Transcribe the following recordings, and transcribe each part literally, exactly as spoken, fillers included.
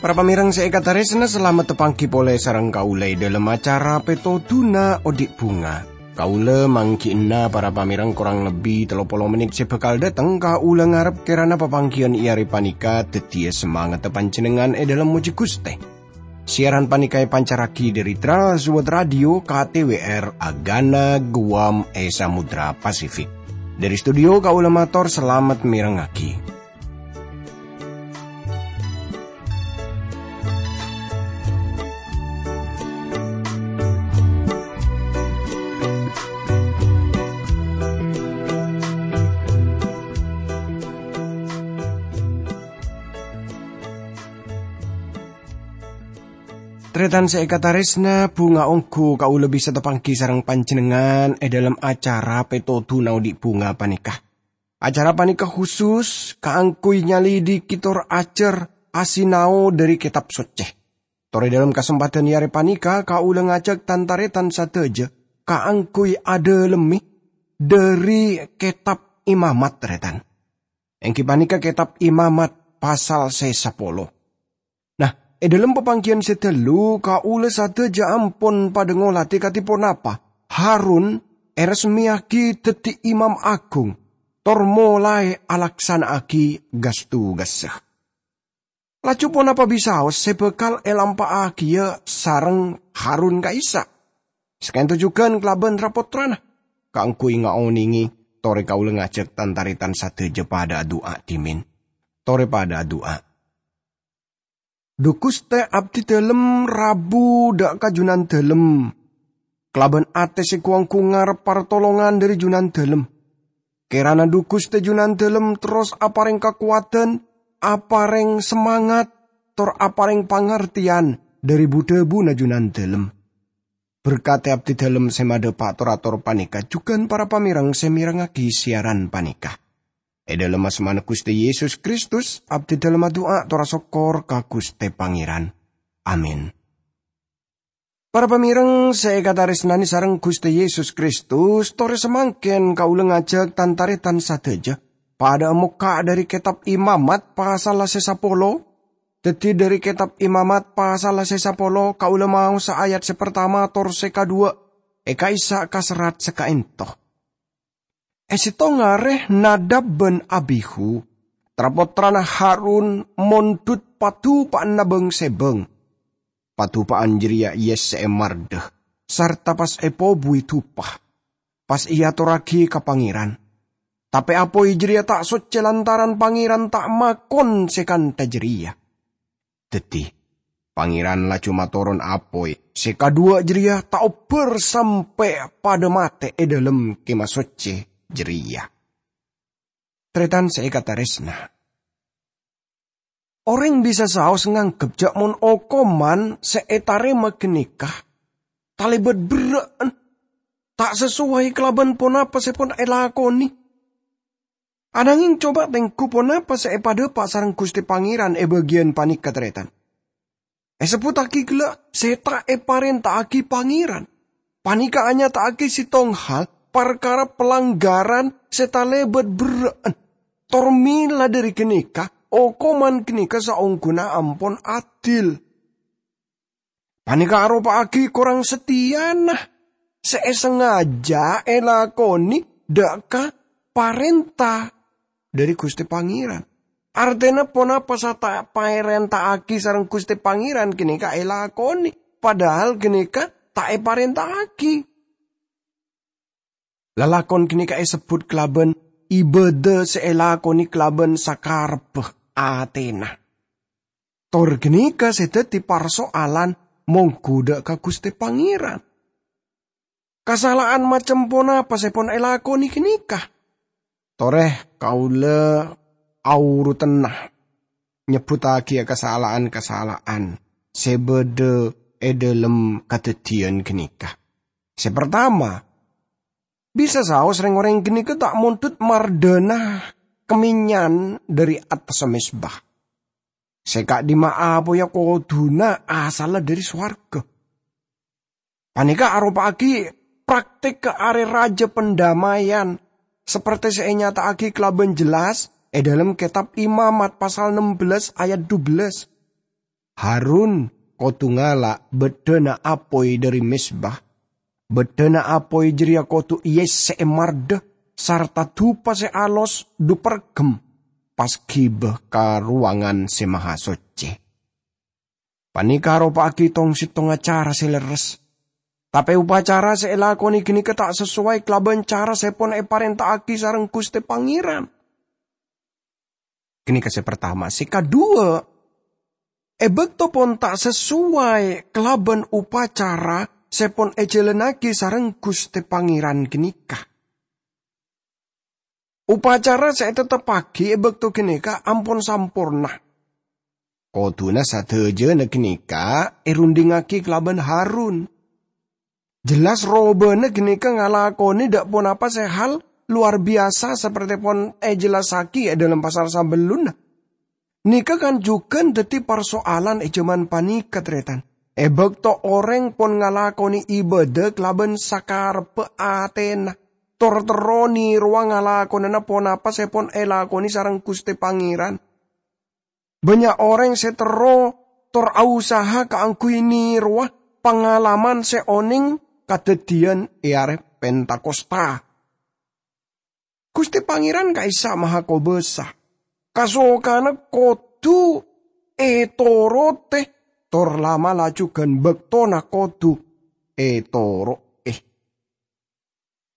Para pamèrèng sè èkatarèsna, salamet tapangghi polè sareng kaulâ è dhâlem acara Pètodhuna Odi' Bhunga. Kaulâ mangghi'na para pamèrèng korang lebbi tello polo mennit sè bhâkal dâteng. Kaulâ ngarep kèrana papangghiyân è arè panèka dhâddhiyâ samangatta panjhennengngan è dhâlem mojhi Ghustè. Siaran panèka èpancarraghi dhâri Trans World Radio K T W R Agana Guam è Samudra Pasifik. Dhâri studio kaulâ mator salamet mèrengngaghi. Tarètan sè èkatarèsna, bhunga ongghu kaulâ bisa tapangghi sareng panjhennengngan è dhâlem acara Pètodhuna Odi' Bhunga panèka. Acara panèka khusus kaangghuy nyalidiki tor ajhâr asinao dhâri Kètab Soccè. Tor è dhâlem kasempadhân è arè panèka, kaulâ ngajhâk tan-tarètan sadhâjâ kaangghuy adhâlemmè dhâri Kètab Imamat, tarètan. Èngghi panèka Kètab Imamat pasal sè sapolo. Nah, è dhâlem papangghiyân sè dâllu, kaulâ sadhâjâ ampon padâ ngolatè kadhi ponapa Harun èrèsmèyaghi dhâddhi Imam Agung, tor molaè alaksana'aghi gas-tugassa. Laju ponapa bisaos sè bhâkal èlampa'aghiyâ sareng Harun ka'issa'? Saka'dinto jhughân kalabân ra-pottrana, kaangghuy ngaonèngè, torè kaulâ ngajhâk tan-tarètan sadhâjâ padâ adu'a dhimèn. Torè padâ adu'a. Dhu Ghustè, abdhi dhâlem rabu dâ' ka Junandâlem, kalabân atè sè gu-ongghu ngarep partolongan dhâri Junandâlem. Kèrana Dhu Ghustè Junandâlem terros aparèng kakowadhân, aparèng samangat, tor aparèng pangartèyan dhâri bu-dhâbuna Junandâlem. Berkadhi abdhi dhâlem sè madhâpa' tor-ator panèka jhughân para pamèrèng sè mèrengngaghi siaran panèka. È dhâlem asmana Ghustè Yesus Kristus, abdhi dhâlem adu'a tor asokkor ka Ghustè Pangèran. Amin. Para pamèrèng sè èkatarèsnanè sareng Ghustè Yesus Kristus, torè samangkèn kaulâ ngajhâk tan-tarètan sadhâjâ padâ mokka' dhâri Kètab Imamat pasal sè sapolo. Dhâddhi, dhâri Kètab Imamat pasal sè sapolo, kaulâ maosa ayat sè partama tor sè kaduwâ' è ka'issa' ka serrat saka'dinto. È sèttong arè Nadab bân Abihu, tra-pottrana Harun, mondhut padhupa'anna bâng-sèbâng. Padhupa'an jârèya èyessè'è mardhâ, sarta pas èpobuwi dupa. Pas èyatorraghi ka Pangèran. Tapè apoy jârèya ta' soccè lantaran Pangèran ta' makon sè kantha jârèya. Dhâddhi, Pangèran laju matoron apoy sè kaduwâ' jârèya ta' obbhâr sampè' padâ matè è dhâlem Kèma Soccè jârèya. Tarètan sè èkatarèsna. Orèng bisa saos nganggep jâ' mon okoman sè ètarèma ghânèka talèbât berrâ'ân, ta' sasowai kalabân ponapa sè pon èlakonè. Ananghing coba tèngghu ponapa sè èpadhâpa' sareng Ghustè Pangèran è bâgiyân panèka, tarètan. Èsebbhuttaghi ghellâ' sè ta' èparènta'aghi Pangèran. Panèka anyata'aghi sèttong hal parkara palanggaran sè talèbât berrâ'ân. Tor mèla dhâri ghânèka, okoman ghânèka saongghuna ampon adil. Panèka aropa'aghi korang satèyana sè èsangajâ èlakonè dâ' ka parènta dhâri Ghustè Pangèran. Artèna ponapa sè ta' èparènta'aghi sareng Ghustè Pangèran ghânèka èlakonè, padahal ghânèka ta' èparènta'aghi. Lalakon ghânèka èsebbhut kalabân ibâdâ sè èlakonè kalabân sakarebbhâ atèna. Tor ghânèka sè dhâddhi parsoalan mongghu dâ' ka Ghustè Pangèran. Kasala'an macem ponapa sè pon èlakonè ghânèka? Torè kaulâ aorutenna nyebbhuttaghi kasala'an-kasala'an sè bâdâ è dhâlem kadhâddhiyân ghânèka. Sè partama, bisa saos rèng-orèng ghânèka ta' mondhut mardhâna kamènyan dhâri attassa mezba. Sè ka'dimma apoya kodhuna asalla dhâri sowarga. Panèka aropa'aghi praktik ka Arè Rajâ Pandamaian, sapertè sè ènyata'aghi kalabân jelas è dhâlem Kètab Imamat pasal nem bellâs ayat dubellâs. Harun kodhu ngala' bâddhâna apoy dhâri mezbah. Bâddhâna apoy jârèya kodhu èyèssè'è mardhâ sarta dupa sè alos dhu-parghemma pas ghibâ ka Rowangan Sè Mahasocce. Panèka aropa'aghi tong-settongnga cara sè lerres. Tapè upacara sè èlakonè ghânèka ta' sasoway kalabân cara sè pon èparènta'aghi sareng Ghustè Pangèran. Ghânèka sè partama. Sè kadhuwâ', è bâkto pon ta' sasoway kalabân upacara sè pon èjhâlânnaghi sareng Ghustè Pangèran ghânèka. Upacara sè ètetteppaghi è bâkto ghânèka ampon samporna. Kodhuna sadhâjâna ghânèka èrundhingngaghi kalabân Harun. Jelas robâna ghânèka ngalakonè dâ' ponapa sè hal lowar biyasa sapertè pon èjellassaghi è dhâlem pasal sabellunna. Nèka kan jhughân dhâddhi parsoalan è jhâman panèka, tarètan. È bâkto orèng pon ngalakonè ibâdâ kalabân sakarebbhâ atèna, tor terro nèrowa ngalakonana ponapa sè pon èlakonè sareng Ghustè Pangèran. Bânnya' orèng sè terro tor ausaha kaangghuy nèrowa pangalaman sè onèng kadhâddhiyân è arè Pentakosta. Ghustè Pangèran ka'issa' Mahakobâsa. Kasokana kodhu ètorotè, tor la'-mala' jhughân bâktona kodhu ètoro'è.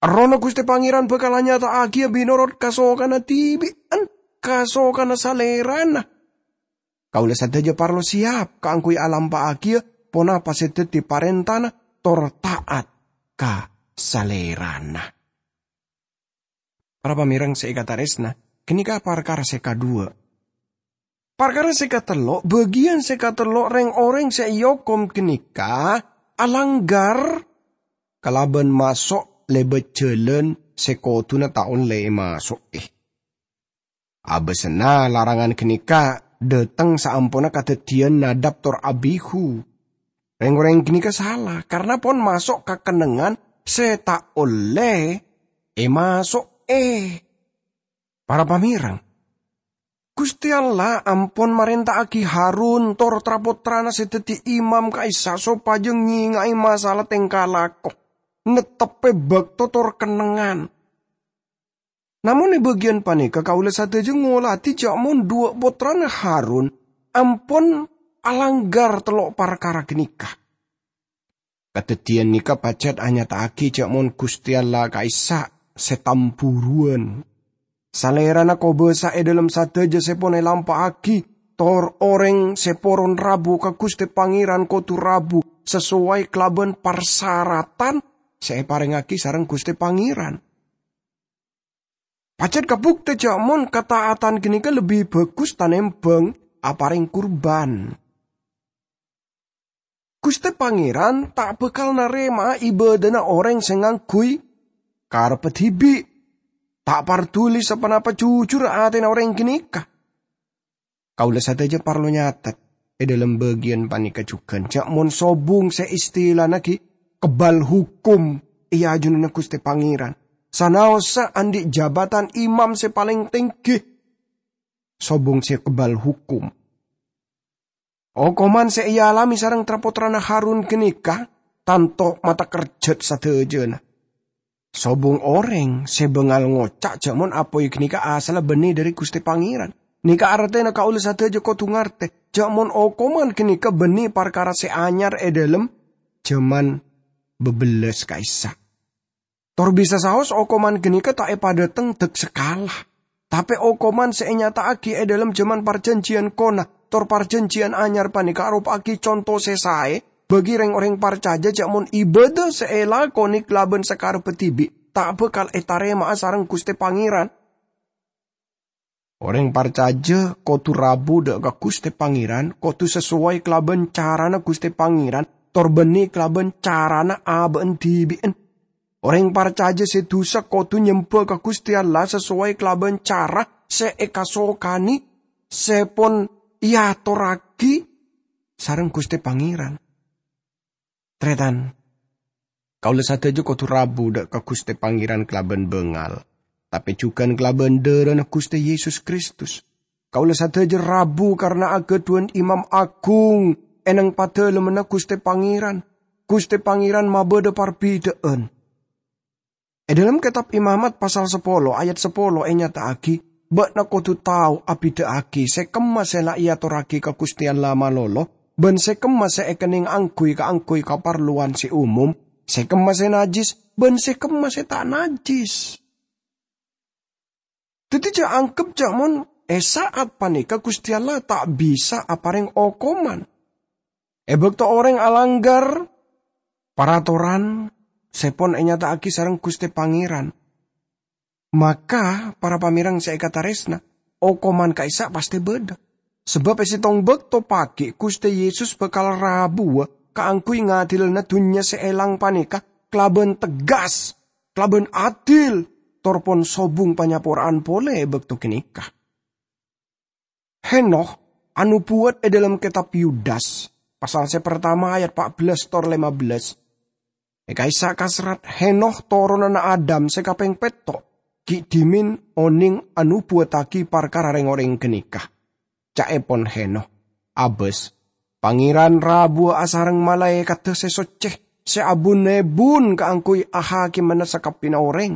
Errohna Ghustè Pangèran bhâkal anyata'aghiyâ mènorot kasokana dhibi'en, kasokana Salèrana. Kaulâ sadhâjâ parlo sèyap kaangghuy alampa'aghiyâ ponapa sè dhâddhi parèntana tor ta'at ka Salèrana. Para pamèreng sè èkatarèsna, ghânèka parkara sè kadhuwâ'. Parkara sè katello', bâgiyân sè katello' rèng-orèng sè èokom ghânèka alangghâr kalabân maso' lèbât jhâlân sè kodhuna ta' ollè èmaso'è. Abâsana larangan ghânèka dhâteng saamponna kadhâddhiyân Nadab tor Abihu. Rèng-orèng ghânèka sala, karna pon maso' ka kennengngan sè ta' ollè èmaso'è. Para pamèreng, Ghustè Allah ampon marènta'aghi Harun tor tra-pottrana sè dhâddhi imam ka'issa' sopajâ ngènga'è masala tèngka lako, netteppè bâkto tor kennengngan. Namong è bâgiyân panèka kaulâ sadhâjâ ngolatè jhâ' mon dhuwâ' pottrana Harun ampon alangghâr tello' parkara ghânèka. Kadhâddhiyân nèka pajhât anyata'aghi jhâ' mon Ghustè Allah ka'issa' sè tambhuruwân. Salèrana kobâsa è dhâlem sadhâjâ sè pon èlampa'aghi, tor orèng sè poron rabu ka Ghustè Pangèran kodhu rabu sasoway kalabân parsaratan sè èparèngaghi sareng Ghustè Pangèran. Pajhât kabhuktè jhâ' mon kataatan ghânèka lebbi bhâghus tanèmbhâng aparèng kurban. Ghustè Pangèran ta' bhâkal narèma'a ibâdâna orèng sè ngangghuy karebbhâ dhibi', ta' parduli saponapa jujurra atèna orèng ghânèka. Kaulâ sadhâjâ parlo nyatet è dhâlem bâgiyân panèka jhughân, jhâ' mon sobung sè istilana ghi' kebbhâl hokom è ajunanna Ghustè Pangèran, sanaossa andi' jabatan imam sè palèng tèngghi. Sobung sè kebbhâl hokom. Okoman sè èalamè sareng tra-pottrana Harun ghânèka tanto matakerjhât sadhâjâna. Sobung orèng sè bângal ngoca' jhâ' mon apoy ghânèka asalla bânnè dhâri Ghustè Pangèran. Nèka artèna kaulâ sadhâjâ kodhu ngartè jhâ' mon okoman ghânèka bânnè parkara sè anyar è dhâlem jhâman bâbellâs ka'issa'. Tor bisa saos okoman ghânèka ta' èpadhâteng dâk-sakala. Tapè okoman sè ènyata'aghi è dhâlem jhâman parjhânjhiyân kona, tor parjhânjhiyân anyar panèka aropa'aghi conto sè saè bagi rèng-orèng parcajâ jhâ' mon ibâdâ sè èlakonè kalabân sakarebbhâ dhibi' ta' bhâkal ètarèma'a sareng Ghustè Pangèran. Orèng parcajâ kodhu rabu dâ' ka Ghustè Pangèran, kodhu sasoway kalabân carana Ghustè Pangèran, tor bânnè kalabân carana abâ'na dhibi'en. Orèng parcajâ sè dhusa kodhu nyembhâ ka Ghustè Allah sasoway kalabân cara sè èkasokanè, sè pon èatorragi sareng Ghustè Pangèran. Tarètan, kaulâ sadhâjâ kodhu rabu dâ' ka Ghustè Pangèran kalabân bângal, tapè jhughân kalabân dârâna Ghustè Yesus Kristus. Kaulâ sadhâjâ rabu karana aghâdhuwân Imam Agung è neng Padalemmanna Ghustè Pangèran. Ghustè Pangèran mabâdâ parbidhâ'ân. È dhâlem Kètab Imamat pasal sapolo ayat sapolo ènyata'aghi, "Bâ'na kodhu tao abidhâ'aghi sè kemma sè la èatorragi ka Ghustè Allah malolo, bân sè kemma sè èkennèng angghuy kaangghuy kaparlowan sè umum, sè kemma sè najjhis, bân sè kemma sè ta' najjhis." Dhâddhi, jhâ' angghep jhâ' mon è sa'at panèka Ghustè Allah ta' bisa aparèng okoman. È bâkto orèng alangghâr paratoran sè pon ènyata'aghi sareng Ghustè Pangèran, maka, para pamèreng sè èkatarèsna, okoman ka'issa' pastè bâdâ. Sabâb è sèttong bâkto paghi' Ghustè Yesus bhâkal rabuwâ kaangghuy ngadilana dhunnya sè èlang panèka kalabân tegas, kalabân adil, tor pon sobung panyapora'an polè è bâkto ghânèka. Henokh anobuwât è dhâlem Kètab Yudas, pasal sè partama ayat pa' bellâs tor lèma bellâs. È ka'issa' kaserrat Henokh toronanna Adam sè kapèng pètto', ghi' dhimèn onèng anobuwâttaghi parkara rèng-orèng ghânèka. Ca'èpon Henokh, abâs, "Pangèran rabuwâ asareng malaèkaddhâ sè soccè, sè abun-èbun kaangghuy ahakimana sakabbhiyânna orèng.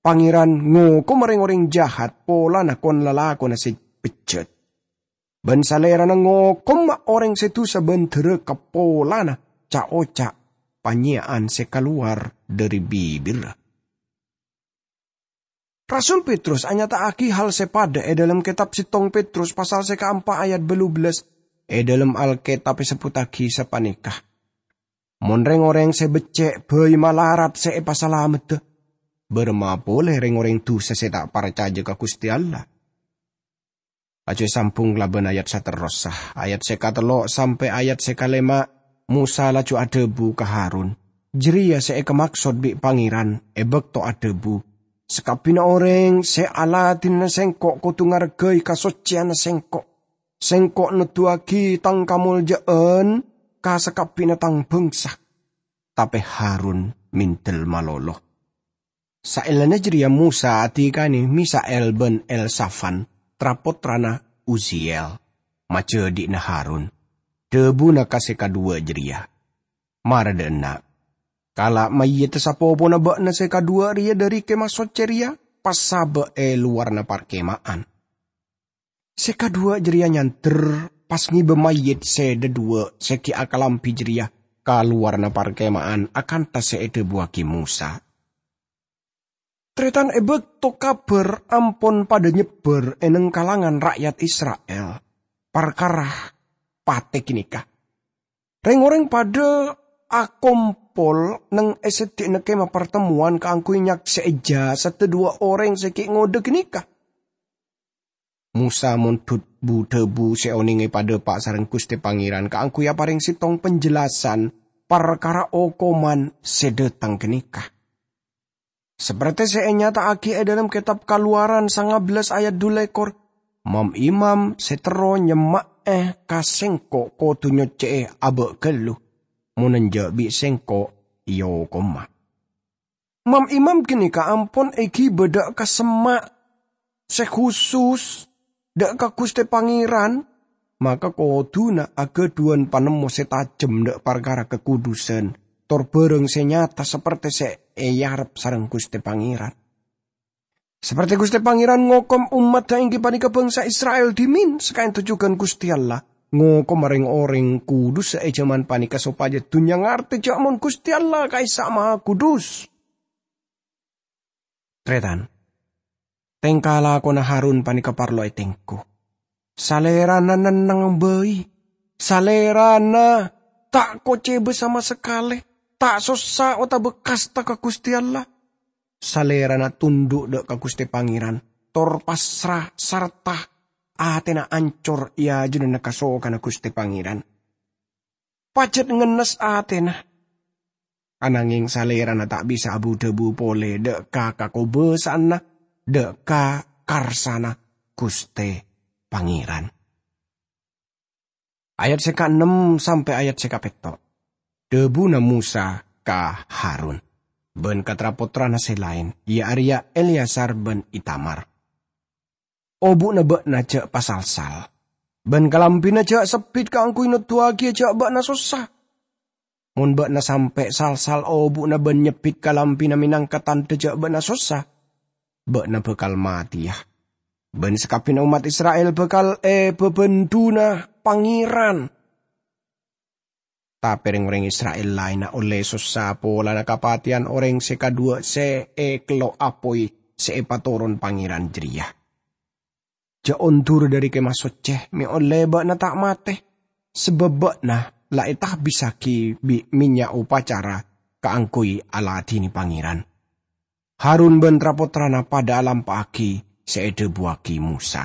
Pangèran ngokoma rèng-orèng jahat polana kon-lalakonna sè bejjhât. Bân Salèrana ngokoma orèng sè dusa bân dhârâka polana ca'-oca' panyèya'an sè kalowar dhâri bibirra." Rasul Petrus anyata'aghi hal sè padâ è dhâlem Kètab Sèttong Petrus pasal sè kaempa' ayat bâllu bellâs. È dhâlem Alkètab èsebbhuttaghi sapanèka, "Mon rèng-orèng sè beccè' bhâi malarat sè èpasalameddhâ, bârâmma polè rèng-orèng dusa sè ta' parcajâ ka Ghustè Allah?" Laju èsambhung kalabân ayat saterrossa, ayat sè katello' sampè' ayat sè kalèma', Mosa laju adhâbu ka Harun, "Jârèya sè èkamaksod bi' Pangèran è bâkto adhâbu, 'Sakabbhiyânna orèng sè aladhinana Sèngko' kodhu ngarghâi kasoccèyanna Sèngko'. Sèngko' noddhuwâghi Tang kamoljâ'ân ka sakabbhiyânna Tang bhângsa.'" Tapè Harun mèndel malolo. Saellana jârèya Mosa adhikana Misael bân Elsafan, tra-pottrana Uziel, majâdhi'na Harun. Dhâbuna ka sè kaduwâ jârèya, "Mara dâ' enna', kala' mayyidda sapopona bâ'na sè kaduwâ rèya dhâri Kemah Soccè rèya, pas sabâ' è lowarra parkema'an." Sè kaduwâ jârèya nyandher, pas ngèbâ mayyit sè dhâduwâ' sè ghi' akalambhi jârèya ka lowarra parkema'an akantha sè èdhâbuwâghi Mosa. Tarètan, è bâkto kabhâr ampon padâ nyebbhâr è neng kalangan ra'yat Isra'il parkara patè ghânèka, rèng-orèng padâ akompol neng è seddi'na Kemah Partemmowan kaangghuy nyaksè'è jasaddhâ dhuwâ' orèng sè ghi' ngodâ ghânèka. Mosa mondhut bu-dhâbu sè onèng èpadhâpa' sareng Ghustè Pangèran kaangghuy aparèng sèttong panjelasan parkara okoman sè dâteng ghânèka. Sapertè sè ènyata'aghi è dhâlem Kètab Kalowaran sanga bellâs ayat dhu lèkor, "Mam-imam sè terro nyemma'è ka Sèngko' kodhu nyoccè'è abâ' ghâllu, mon enjâ' bi' Sèngko' èokoma." Mam-imam ghânèka ampon èghibâ dâ' ka semma' sè khusus dâ' ka Ghustè Pangèran, maka kodhuna aghâdhuwân panemmo sè tajhem dâ' parkara kakudusân, tor bhârâng sè nyata sapertè sè èarep sareng Ghustè Pangèran. Sapertè Ghustè Pangèran ngokom ommaddhâ èngghi panèka bhângsa Isra'il dhimèn, saka'ènto jhughân Ghustè Allah ngokoma rèng-orèng kudussa è jhâman panèka sopajâ dhunnya ngartè jhâ' mon Ghustè Allah ka'issa' Mahakudus. Tarètan, tèngka lakona Harun panèka parlo ètengghu. Salèrana nenneng bhâi. Salèrana ta' kocèbâ sama sakalè, ta' sossa otabâ kasta ka Ghustè Allah. Salèrana tondhu' dâ' ka Ghustè Pangèran, tor pasra sarta atèna ancor è ajunanna kasokanna Ghustè Pangèran. Pajhât ngennes atèna. Anangèng salèrana ta' bisa abu-dhâbu polè dâ' ka kakobâsa'anna, dâ' ka karsana Ghustè Pangèran. Ayat sè kaennem sampè' ayat sè kapètto'. Dhâbuna Mosa ka Harun, bân ka tra-pottrana sè laèn, iyâ arèya Eleazar bân Itamar, "Obu'na bâ'na jhâ' pasalsal, bân kalambhina jhâ' sebbhit kaangghuy noduwaghiyâ jhâ' bâ'na sossa. Mon bâ'na sampè' salsal obu'na bân nyebbhit kalambhina mènangka tandhâ jhâ' bâ'na sossa, bâ'na bhâkal matèya, bân sakabbhiyânna ommat Isra'il bhâkal èbâbândhuna Pangèran." Tapè rèng-orèng Isra'il laènna ollè sossa polana kapatèyan orèng sè kadhuwâ' sè èkello' apoy sè èpatoron Pangèran jârèya. "Jhâ' ondur dhâri Kemah Soccè, mè' ollè bâ'na ta' matè, sabâb bâ'na la ètabissaghi bi' mènnya' opacara kaangghuy aladhinè Pangèran." Harun bân tra-pottrana padâ alampa'aghi sè èdhâbuwâghi Mosa.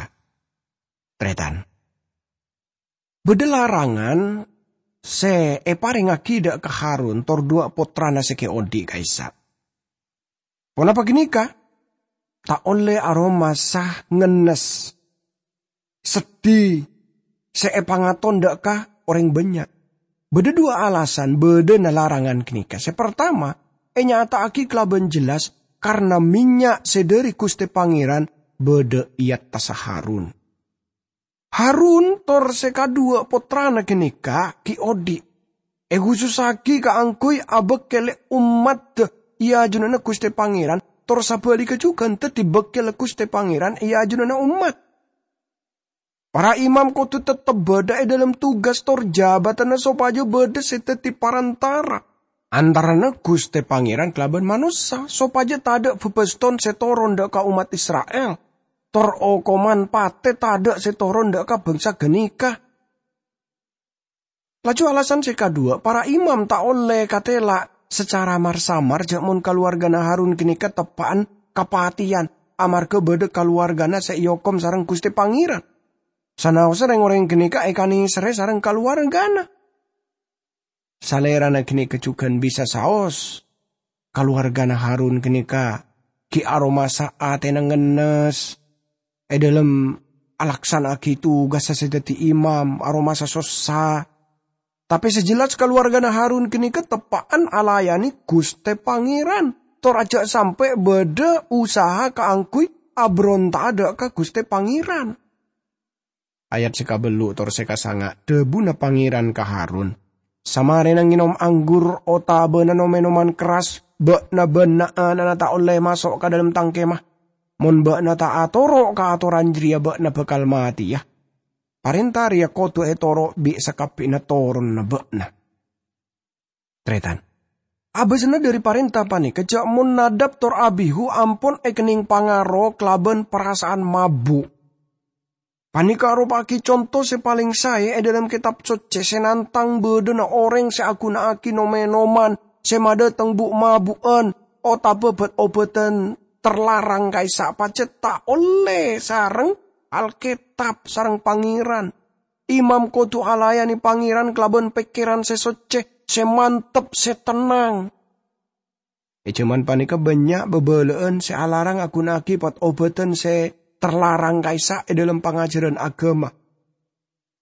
Tarètan. Bâdâ larangan sè èparèngaghi dâ' ka Harun tor duwâ' pottrana sè ghi' odi' ka'issa'. Ponapa ghânèka? Ta' ollè aromasa ngennes seddhi sè èpangaton dâ' ka orèng bânnya'. Bâdâ duwâ' alasan bâdâna larangan ghânèka. Sè partama, ènyata'aghi kalabân jelas karna mènnya' sè dhâri Ghustè Pangèran bâdâ è attassa Harun. Harun tor sè kadhuwâ' pottrana ghânèka ghi' odi', èkhusussaghi kaangghuy abâkkèlè ommaddhâ è ajunanna Ghustè Pangèran, tor sabhâligghâ jhughân dhâddhi bâkkèlla Ghustè Pangèran è ajunanna ommat. Para imam kodhu teptep bâdâ è dhâlem tugas tor jabâtanna sopajâ bâdâ sè dhâddhi parantara antarana Ghustè Pangèran kalabân manossa, sopajâ tadâ' bâbâston sè toron dâ' ka ommat Isra'il, tor okoman patè tadâ' sè toron dâ' ka bhângsa ghânèka. Laju alasan sè kadhuwâ', para imam ta' ollè katèla' sacara mar-samar jhâ' mon kalowarghâna Harun ghânèka teppa'an kapatèyan, amarghâ bâdâ kalowarghâna sè èokom sareng Ghustè Pangèran. Sanaossa rèng-orèng ghânèka èkanèserrè sareng kalowarghâna. Salèrana ghânèka jhughân bisa saos. Kalowarghâna Harun ghânèka ghi' aromasa atèna ngennes è dhâlem alaksana'aghi tugassa sè dhâddhi imam, aromasa sossa. Tapè sè jelas kalowarghâna Harun ghânèka teppa'an alayanè Ghustè Pangèran, tor ajhâ' sampè' bâdâ usaha kaangghuy abhâronta'a dâ' ka Ghustè Pangèran. Ayat sè kabellu' tor sè kasanga', dhâbuna Pangèran ka Harun, "Samarèna ngènom anggur otabâna nom-ènoman kerras, bâ'na bân na'-ana'na ta' ollè maso' ka dhâlem Tang Kemah. Mon bâ'na ta' atoro' ka atoran jârèya, bâ'na bhâkal matèya. Parènta rèya kodhu ètoro' bi' sakabbhiyanna toronanna bâ'na." Tarètan. Abâsanna dhâri parènta panèka jhâ' mon Nadab tor Abihu ampon èkennèng pangaro kalabân parasa'an mabu'. Panèka aropa'aghi conto sè palèng saè è dhâlem Kètab Soccè sè nantang bâdâna orèng sè aghuna'aghi nom-ènoman sè madhâteng bu'-mabu'ân otabâ bhât-obhâdhân terlarang ka'issa' pajhât ta' ollè sareng Alkètab sareng Pangèran. Imam kodhu alayanè Pangèran kalabân pèkkèran sè soccè, sè mantep, sè tennang. È jhâman panèka bânnya' bâbâlâ'ân sè alarang aghuna'aghi bhât-obhâdhân sè terlarang ka'issa' è dhâlem pangajhârân aghâma.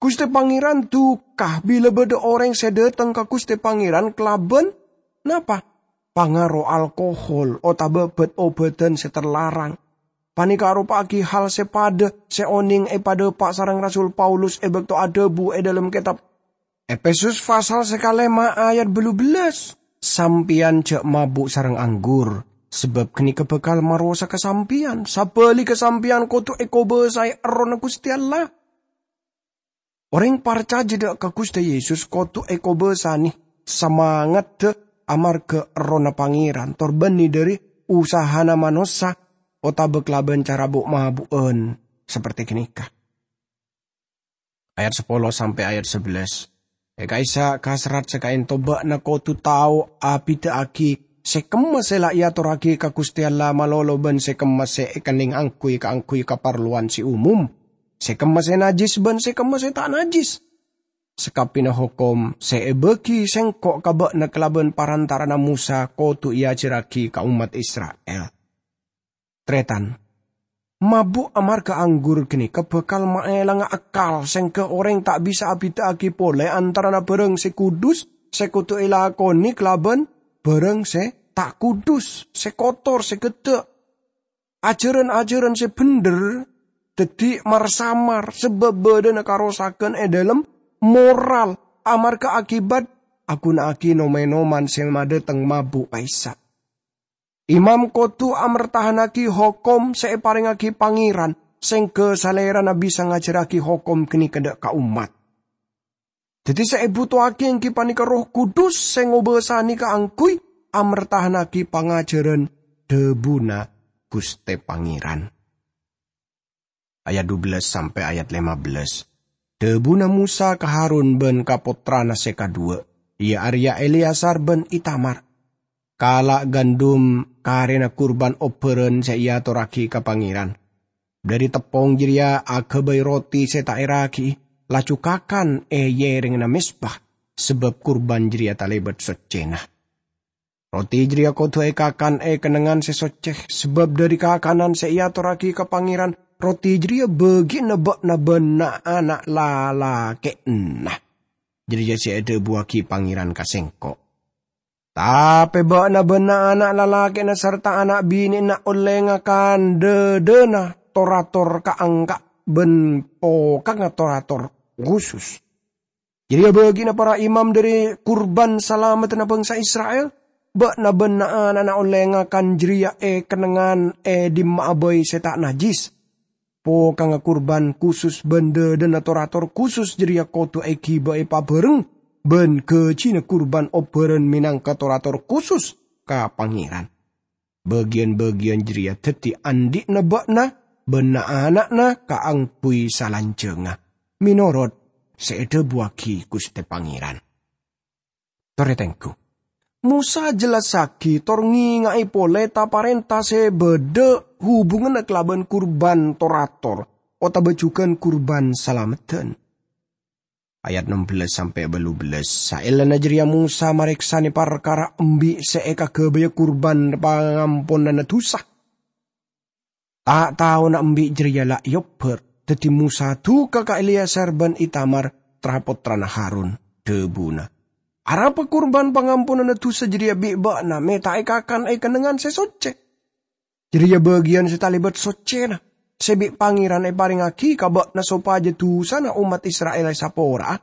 Ghustè Pangèran duka bilâ bâdâ orèng sè dhâteng ka Ghustè Pangèran kalabân napa? Pangaro alkohol otabâ bhât-obhâdhân sè terlarang. Panèka aropa'aghi hal sè padâ sè onèng èpadhâpa' sareng Rasul Paulus è bâkto adhâbu è dhâlem kètab Efesus pasal sè kalèma ayat bâllu bellâs, "Sampèyan jhâ' mabu' sareng anggur, sabâb ghânèka bhâkal marosaghâ sampèyan. Sabhâligghâ sampèyan kodhu èkobâsaè Errohna Ghustè Allah." Orèng parcajâ dâ' ka Ghustè Yesus kodhu èkobâsanè samangaddhâ amarghâ Errohna Pangèran, tor bânnè dhâri usahana manossa otabâ kalabân cara bu'-mabu'ân saperti ghânèka. Ayat sapolo sampè' ayat sabellâs. È ka'issa' kaserrat sè ka'ènto bâ'na kodhu tao abhidhâ'aghi sè kemma sè la èatorraghi ka Ghustè Allah malolo bân sè kemma sè èkennèng angghuy kaangghuy kaparlowan sè umum, sè kemma sè najjhis bân sè kemma sè ta' najjhis. Sakabbhiyânna hokom sè èbâghi Sèngko' ka bâ'na kalabân parantara'anna Mosa kodhu èajhârraghi ka ommat Isra'il. Tarètan. Mabu' amarga anggur ganeka bakal maelanga akal, sengga oreng ta' bisa abida'agi pole antarana barang se kudus se kodu elakone kalaban barang se ta' kudus, se kotor, se gedda'. Ajaran-ajaran se bendher daddi mar-samar, sabab badhana karosagan e dhalem moral amarga akibat aguna'agi nom-enoman se madhateng mabu' ka'issa'. Imam kodu amertahannagi hokom se eparengngagi Pangeran, sengga salerana bisa ngajarragi hokom ganeka dha' ka ommat. Daddi se ebuto'agi enggi paneka Erroh Kudus se ngobasane kaangguy amertahannagi pangajaran dhabuna Guste Pangeran. Ayat dua belas sampai ayat lima belas. Dhabuna Musa ka Harun ban ka pottrana se kadhuwa, iya areya Eleazar ban Itamar, "Kala' gandum karena kurban obbaran se eatorragi ka Pangeran. Dhari teppong jareya agabay roti se ta' eragi'i, laju kakan e yerengngana mezbah, sabab kurban jareya talebat soccena. Roti jareya kodu ekakan e kennengngan se socce, sabab dhari kakanan se eatorragi ka Pangeran, roti jareya bagiyanna ba'na ban na'-ana' lalake'na. Jareya se edhabuwagi Pangeran ka sengko'. Tape ba'na ban na'-ana' lalake'na sarta ana' bine'na olle ngakan dhadhana tor-ator kaangka' ban pokangnga tor-ator kusus. Jareya bagiyanna para imam dhari kurban salameddhana bangsa Isra'il. Ba'na ban na'-ana'na olle ngakan jareya e kennengngan e dimma'a bai se ta' najjis. Pokangnga kurban kusus ban dhadhana tor-ator kusus jareya kodu egibae pabareng ban gajina kurban obbaran menangka tor-ator kusus ka Pangeran. Bagiyan-bagiyan jareya daddi andhi'na ba'na ban na'-ana'na kaangguy salanjangnga, menorot se edhabuwagi Guste Pangeran." Taretangghu, Musa jellassagi tor ngenga'e pole ta-parenta se badha hubunganna kalaban kurban tor-ator otaba jugan kurban salameddhân. Ayat enam belas sampai balu belas. Saellana jareya Musa mareksane parkara embi' se ekagabaya kurban pangamponanna dusa. Ta' taona embi' jareya la eobbar, daddi Musa duka ka Eleazar ban Itamar, tra-pottrana Harun, dhabuna, "Arapa kurban pangamponanna dusa jareya bi' ba'na me' ta' ekakan e kennengngan se socce? Jareya bagiyan se talebat soccena, se bi' Pangeran eparengngagi ka ba'na sopaja dusana ommat Isra'il esapora'a.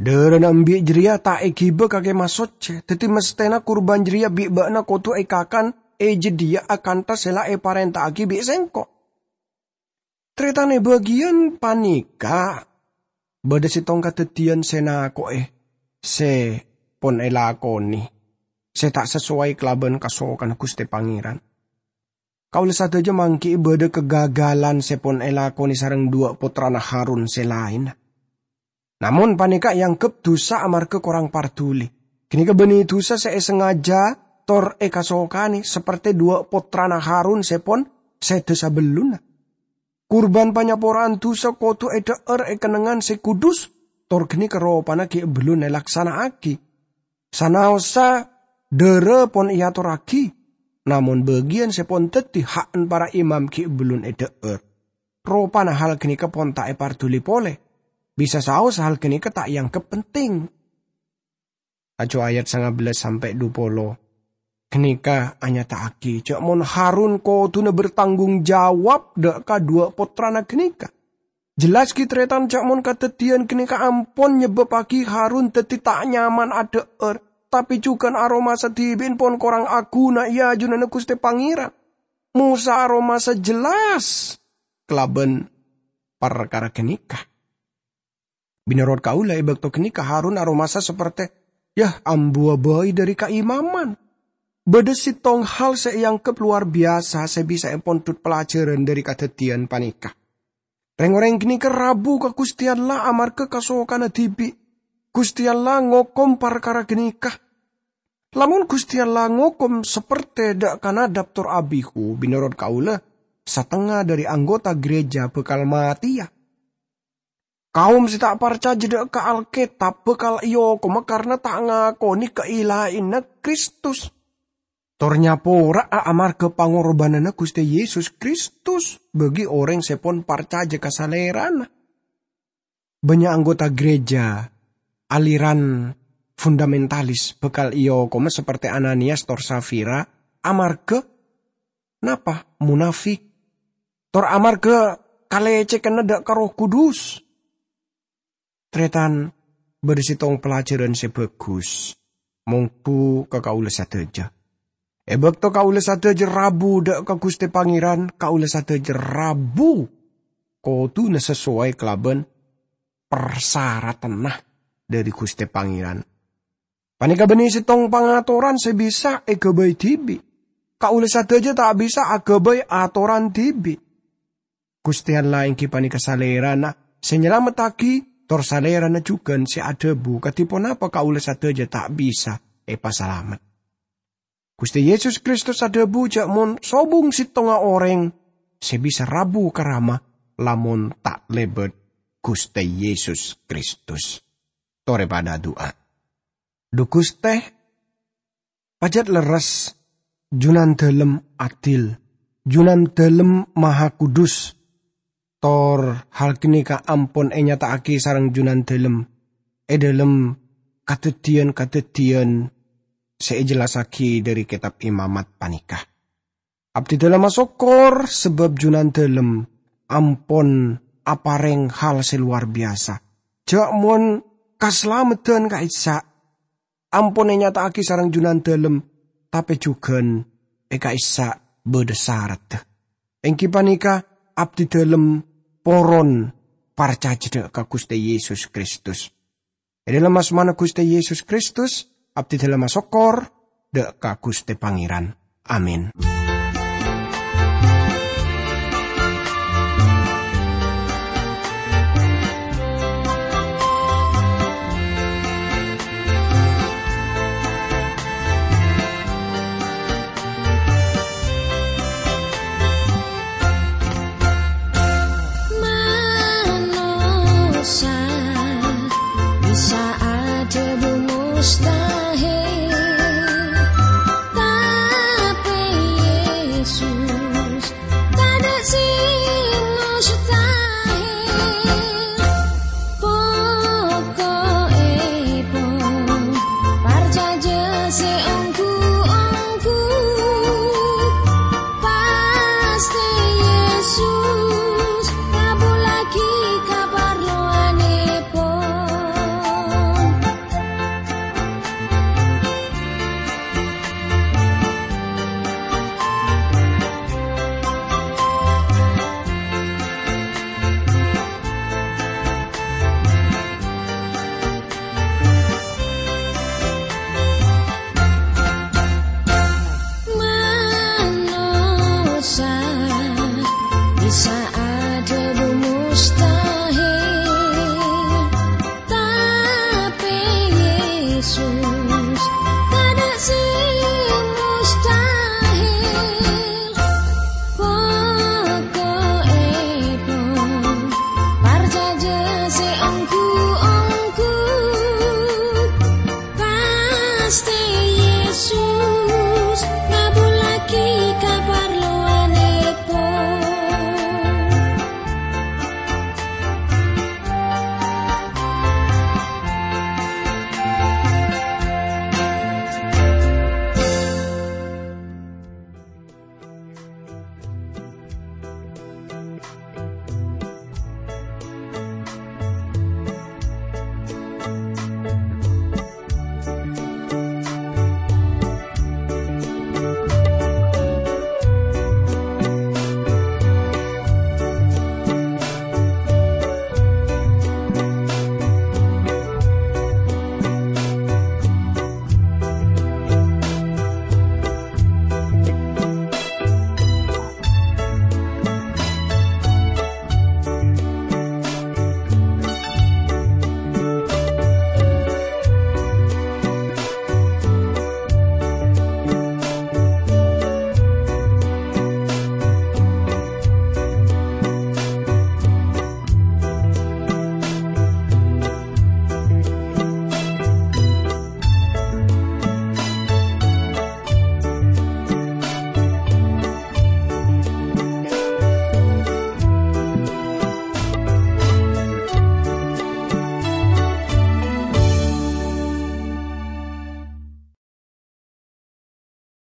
Dharana embi' jareya ta' egiba ka Kemah Socce, daddi masthena kurban jareya bi' ba'na kodu ekakan e jadhiya akantha se la eparenta'agi bi' sengko'." Taretan, e bagiyan paneka badha settong kadaddiyan se nako'e se pon elakone, se ta' sasowai kalaban kasokanna Guste Pangeran. Kaula sadaja manggi'i badha kagagalan se pon elakone sareng dhuwa' pottrana Harun se laenna. Namon paneka eanggep dusa amarga korang parduli. Ganeka banne dusa se esangaja tor ekasokane, saperte dhuwa' pottrana Harun se pon seda sabellunna. Kurban panyapora'an dusa kodu edha'ar e kennengngan se kudus, tor ganeka ropana gi' bellun elaksana'agi. Sanaossa dhara pon eatorragi, namon bagiyan se pon daddi ha'na para imam gi' bellun edha'ar. Ropana hal ganeka pon ta' eparduli pole. Bisa saos hal ganeka ta' eanggep penting. Laju ayat sangabelas sampe' dupolo ganeka anyata'agi ja' mon Harun koduna bertanggung jawab dha' ka dhuwa' pottrana ganeka. Jelas gi' taretan ja' mon kadaddiyan ganeka ampon nyebbabbagi Harun daddi ta' nyaman adha'ar, tape jugan aromasa dibi'en pon korang aguna e ajunanna Guste Pangeran. Mosa aromasa jelas kalaban parkara ganeka. Menorot kaula, e bakto ganeka Harun aromasa saperte, yah, ambuwa bai dhari kaimaman. Badha settong hal se eanggep lowar biyasa se bisa epondhut pelajaran dhari kadaddiyan paneka. Reng-oreng ganeka rabu ka Guste Allah amarga kasokanna dibi'. Guste Allah ngokom parkara ganeka. Lamon Guste Allah ngokom saperte dha' ka Nadab tor Abihu, menorot kaula, satengnga dhari anggota gereja bakal mateya. Kaum se ta' parcaja dha' ka Alketab bakal eokoma karna ta' ngakone kailaina Kristus. tor nyapora'a amarghâ pangorbhânanna Ghustè Yesus Kristus bagi orèng sè pon parcajâ ka Salèrana. Bânnya' anggota gereja aliran fundamentalis bhâkal èokoma sapertè Ananias tor Safira amarghâ napa? Monafik. Tor amarghâ kalècèghânna dhâ' ka Erroh Kudus. Tarètan, bâdâ sèttong pelajaran sè bhâghus mongghu ka kaulâ sadhâjâ. È bâkto kaulâ sadhâjâ rabu dhâ' ka Ghustè Pangèran, kaulâ sadhâjâ rabu kodhuna sasowai kalabân parsaratanna dhâri Ghustè Pangèran. Panèka bânnè sèttong pangatoran sè bisa èghâbây dhibi'. Kaulâ sadhâjâ ta' bisa aghâbây atoran dhibi'. Ghustè Allah èngghi panèka Salèrana sè nyalamettaghi, tor Salèrana jhughân sè adhâbu kadhi ponapa kaulâ sadhâjâ ta' bisa èpasalamet. Ghustè Yesus Kristus adhâbu jâ' mon sobung sèttonga orèng sè bisa rabu ka Rama lamon ta' lèbât Ghustè Yesus Kristus. Torè padâ adu'a. Dhu Ghustè, pajhât lerres, Junandalem adil, Junandalem mahakudus. Tor hal ghânèka ampon ènyata'aghi sareng Junandalem è dhâlem kadhâddhiyân-kadhâddhiyân sè èjellassaghi dhâri Kètab Imamat panèka. Abdhidhâlem asokkor sabâb Junandalem ampon aparèng hal sè lowar biyasa. Jâ' mon kasalameddhân ka'issa' ampon ènyata'aghi sareng Junandalem, tapè jhughân è ka'issa' bâdâ saradda. Èngghi panèka, abdhidhâlem poron parcajâ dhâ' ka Ghustè Yesus Kristus. È dhâlem asmana Ghustè Yesus Kristus, abdhidhâlem asokkor dhâ' ka Ghustè Pangèran. Amin. Manossa bisa adhâbu mustahil, tapè Yesus tadâ' sè mustahil. Poko'èpon, parcajâ sè ongghu-ongghu, pastè Yesus ngabhullaghi kaparlowanèpon. Manossa bisa adhâbu mustahil, tapè Yesus tadâ' sè mustahil. Poko'èpon, parcajâ sè ongghu-ongghu, pastè Yesus ngabhullaghi kaparlowanèpon.